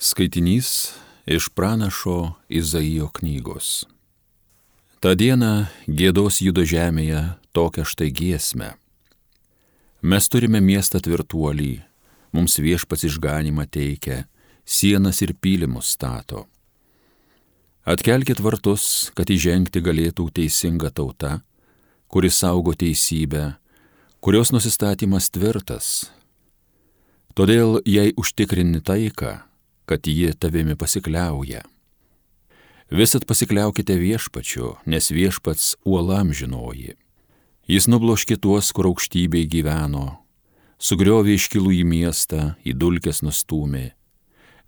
Skaitinys iš pranašo Izaijo knygos. Ta diena giedos Judo žemėje tokią štai giesmę. Mes turime miestą tvirtuolį, mums viešpats išganymą teikia, sienas ir pylimus stato. Atkelkit vartus, kad įžengti galėtų teisinga tauta, kuris saugo teisybę, kurios nusistatymas tvirtas. Todėl jei užtikrini taiką, kad ji tavimi pasikliauja. Visat pasikliaukite viešpačiu, nes viešpats uolam žinoji. Jis nubloškė tuos, kur aukštybėj gyveno, sugriovė iškilų į miestą, į dulkes nustūmė.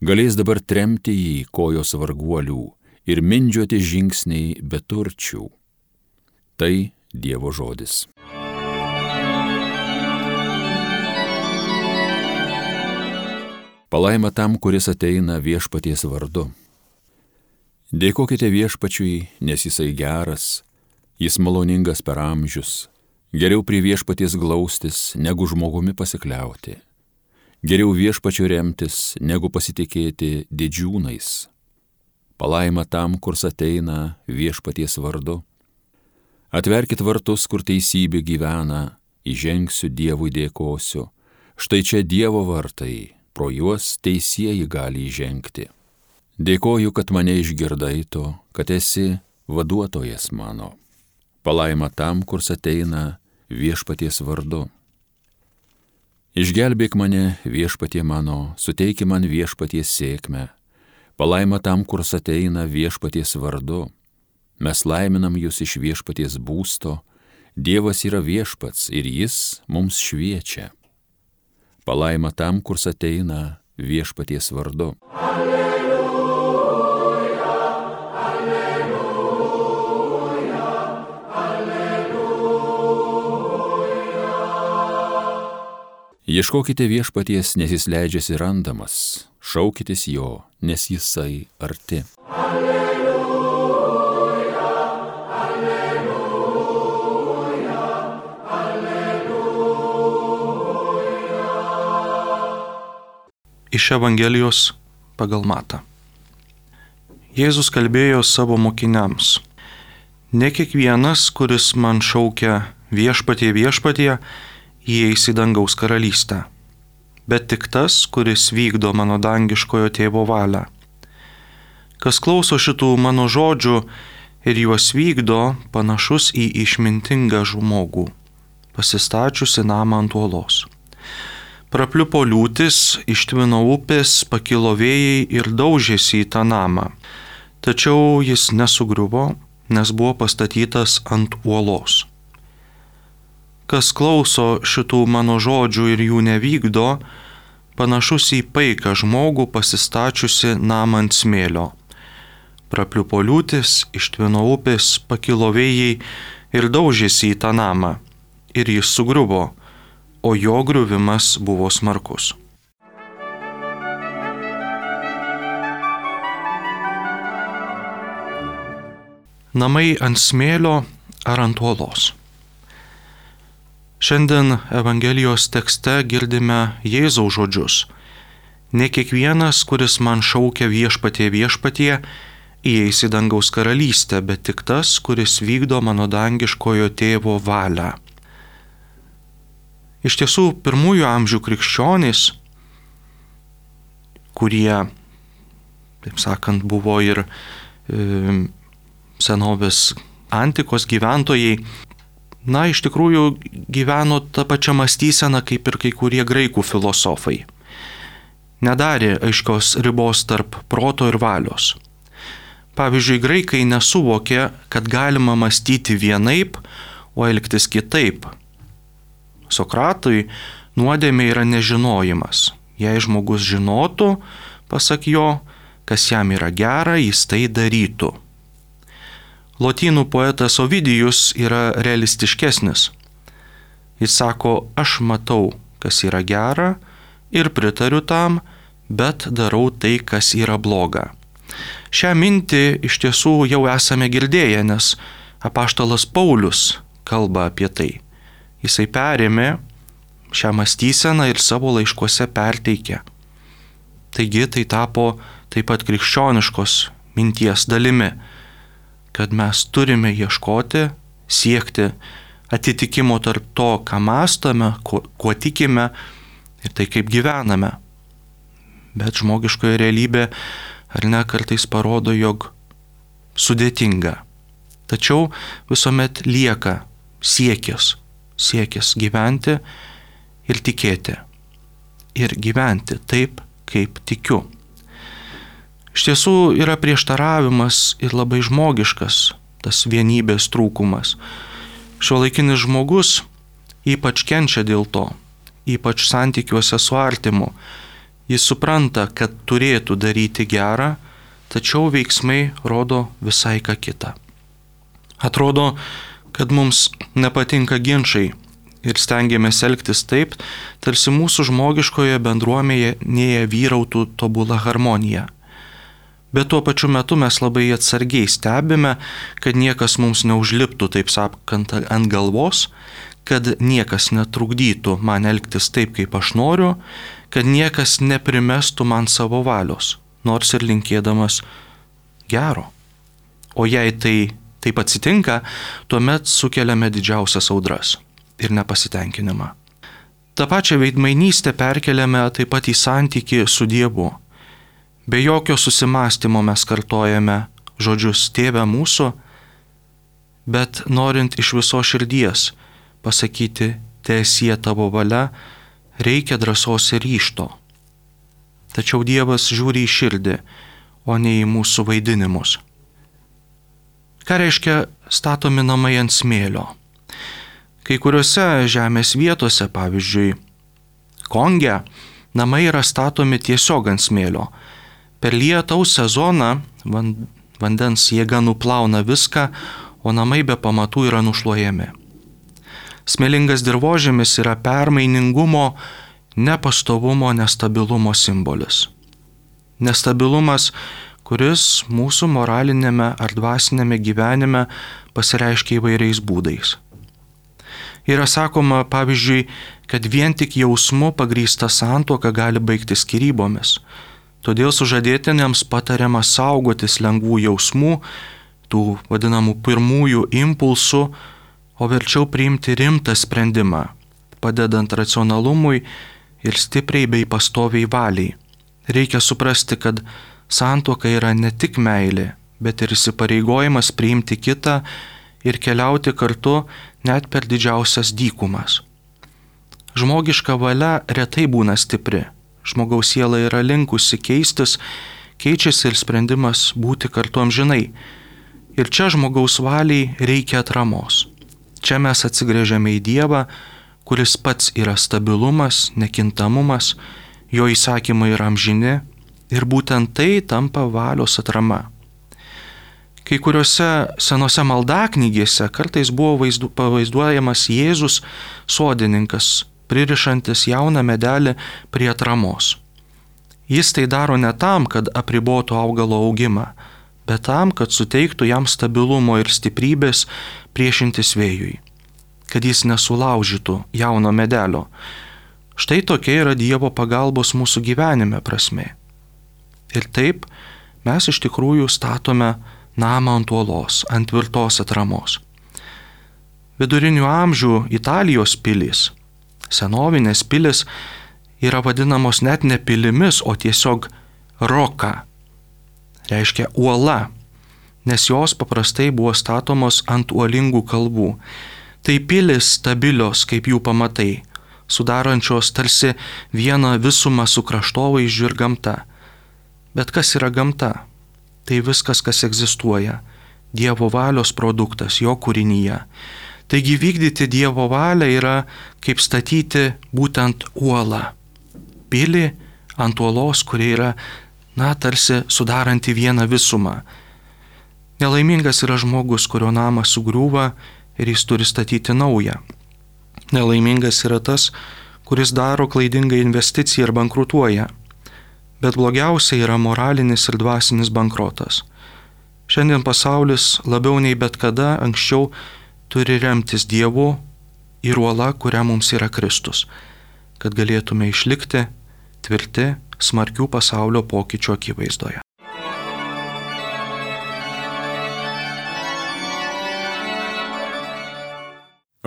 Galės dabar tremti jį kojos varguolių ir mindžiuoti žingsniai beturčių. Tai Dievo žodis. Palaima tam, kuris ateina viešpaties vardu. Dėkokite viešpačiui, nes jisai geras, jis maloningas per amžius. Geriau prie viešpaties glaustis, negu žmogumi pasikliauti. Geriau viešpačiu remtis, negu pasitikėti didžiūnais. Palaima tam, kurs ateina viešpaties vardu. Atverkit vartus, kur teisybė gyvena, įžengsiu Dievui dėkosiu. Štai čia Dievo vartai. Pro juos teisieji gali įžengti. Dėkoju, kad mane išgirdai tu, kad esi vaduotojas mano. Palaima tam, kurs ateina viešpaties vardu. Išgelbėk mane viešpatie mano, suteiki man viešpaties sėkmę. Palaima tam, kurs ateina viešpaties vardu. Mes laiminam jūs iš viešpaties būsto. Dievas yra viešpats ir jis mums šviečia. Palaima tam, kurs ateina viešpaties vardu. Alleluja, alleluja, alleluja. Ieškokite viešpaties, nes jis leidžiasi randamas. Šaukitės jo, nes jisai arti. Iš Evangelijos pagal Matą. Jėzus kalbėjo savo mokiniams: Ne kiekvienas, kuris man šaukia viešpatie, viešpatie, įeis į dangaus karalystę, bet tik tas, kuris vykdo mano dangiškojo tėvo valią. Kas klauso šitų mano žodžių ir juos vykdo, panašus į išmintingą žmogų, pasistačiusi namą ant uolos. Prapliupo liūtis, ištvino upės, pakilo vėjai ir daužėsi į tą namą. Tačiau jis nesugriuvo, nes buvo pastatytas ant uolos. Kas klauso šitų mano žodžių ir jų nevykdo, panašus į paiką žmogų pasistačiusi namą ant smėlio. Prapliupo liūtis, ištvino upės, pakilo vėjai ir daužėsi į tą namą. Ir jis sugriuvo, o jo griuvimas buvo smarkus. Namai ant smėlio ar ant uolos? Šiandien Evangelijos tekste girdime Jėzaus žodžius: Ne kiekvienas, kuris man šaukia viešpatie, viešpatie, įeis į dangaus karalystę, bet tik tas, kuris vykdo mano dangiškojo tėvo valią. Iš tiesų, pirmųjų amžių krikščionys, kurie, taip sakant, buvo ir senovės antikos gyventojai, iš tikrųjų gyveno tą pačią mąstyseną kaip ir kai kurie graikų filosofai. Nedarė aiškios ribos tarp proto ir valios. Pavyzdžiui, graikai nesuvokė, kad galima mąstyti vienaip, o elgtis kitaip. Sokratui nuodėmė yra nežinojimas. Jei žmogus žinotų, pasak jo, kas jam yra gera, jis tai darytų. Lotynų poetas Ovidijus yra realistiškesnis. Jis sako: aš matau, kas yra gera ir pritariu tam, bet darau tai, kas yra bloga. Šią mintį iš tiesų jau esame girdėję, nes apaštalas Paulius kalba apie tai. Jisai perėmė šią mąstyseną ir savo laiškuose perteikė. Taigi tai tapo taip pat krikščioniškos minties dalimi, kad mes turime ieškoti, siekti atitikimo tarp to, ką mąstome, kuo tikime ir tai, kaip gyvename. Bet žmogiškoje realybė, ar ne, kartais parodo, jog sudėtinga. Tačiau visuomet lieka siekis gyventi ir tikėti. Ir gyventi taip, kaip tikiu. Iš tiesų yra prieštaravimas ir labai žmogiškas tas vienybės trūkumas. Šiuolaikinis žmogus ypač kenčia dėl to, ypač santykiuose su artimu. Jis supranta, kad turėtų daryti gerą, tačiau veiksmai rodo visai ką kitą. Atrodo, kad mums nepatinka ginčai ir stengiamės elgtis taip, tarsi mūsų žmogiškoje bendruomenėje vyrautų tobula harmonija. Bet tuo pačiu metu mes labai atsargiai stebime, kad niekas mums neužliptų, taip sakant, ant galvos, kad niekas netrukdytų man elgtis taip, kaip aš noriu, kad niekas neprimestų man savo valios, nors ir linkėdamas gero. O jei tai taip atsitinka, tuomet sukeliame didžiausias audras ir nepasitenkinimą. Ta pačią veidmainystę perkeliame taip pat į santykį su Dievu. Be jokio susimąstymo mes kartojame žodžius Tėve mūsų, bet norint iš viso širdies pasakyti teesie tavo valia, reikia drąsos ir ryžto. Tačiau Dievas žiūri į širdį, o ne į mūsų vaidinimus. Ką reiškia statomi namai ant smėlio? Kai kuriuose žemės vietose, pavyzdžiui, Konge, namai yra statomi tiesiog ant smėlio. Per lietaus sezoną vandens jėga nuplauna viską, o namai be pamatų yra nušluojami. Smėlingas dirvožemis yra permainingumo, nepastovumo, nestabilumo simbolis. Nestabilumas, kuris mūsų moralinėme ar dvasinėme gyvenime pasireiškia įvairiais būdais. Yra sakoma, pavyzdžiui, kad vien tik jausmu pagrįsta santuoka gali baigtis skyrybomis. Todėl sužadėtiniams patariama saugotis lengvų jausmų, tų vadinamų pirmųjų impulsų, o verčiau priimti rimtą sprendimą, padedant racionalumui ir stipriai bei pastoviai valiai. Reikia suprasti, kad santuoka yra ne tik meilė, bet ir įsipareigojimas priimti kitą ir keliauti kartu net per didžiausias dykumas. Žmogiška valia retai būna stipri. Žmogaus siela yra linkusi keistis, keičiasi ir sprendimas būti kartu amžinai. Ir čia žmogaus valiai reikia atramos. Čia mes atsigręžiame į Dievą, kuris pats yra stabilumas, nekintamumas, jo įsakymai yra amžini ir būtent tai tampa valios atrama. Kai kuriuose senose maldaknygėse kartais buvo pavaizduojamas Jėzus sodininkas, pririšantis jauną medelį prie atramos. Jis tai daro ne tam, kad apribotų augalo augimą, bet tam, kad suteiktų jam stabilumo ir stiprybės priešintis vėjui, kad jis nesulaužytų jauno medelio. Štai tokia yra Dievo pagalbos mūsų gyvenime prasmė. Ir taip mes iš tikrųjų statome namą ant uolos, ant tvirtos atramos. Vidurinių amžių Italijos pilys, senovinės pilis, yra vadinamos net ne pilimis, o tiesiog roka, reiškia uola, nes jos paprastai buvo statomos ant uolingų kalvų. Tai pilis stabilios kaip jų pamatai, sudarančios tarsi vieną visumą su kraštovaizdžiu ir gamta. Bet kas yra gamta? Tai viskas, kas egzistuoja, Dievo valios produktas, jo kūrinyje. Taigi vykdyti Dievo valią yra kaip statyti būtent uolą. Pilį ant uolos, kuri yra, tarsi sudaranti vieną visumą. Nelaimingas yra žmogus, kurio namas sugriūva ir jis turi statyti naują. Nelaimingas yra tas, kuris daro klaidingą investiciją ir bankrutuoja. Bet blogiausia yra moralinis ir dvasinis bankrotas. Šiandien pasaulis labiau nei bet kada anksčiau turi remtis Dievu ir uola, kurią mums yra Kristus, kad galėtume išlikti tvirti, smarkių pasaulio pokyčių akivaizdoje.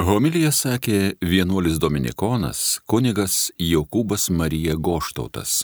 Homiliją sakė vienuolis dominikonas kunigas Jokūbas Marija Goštautas.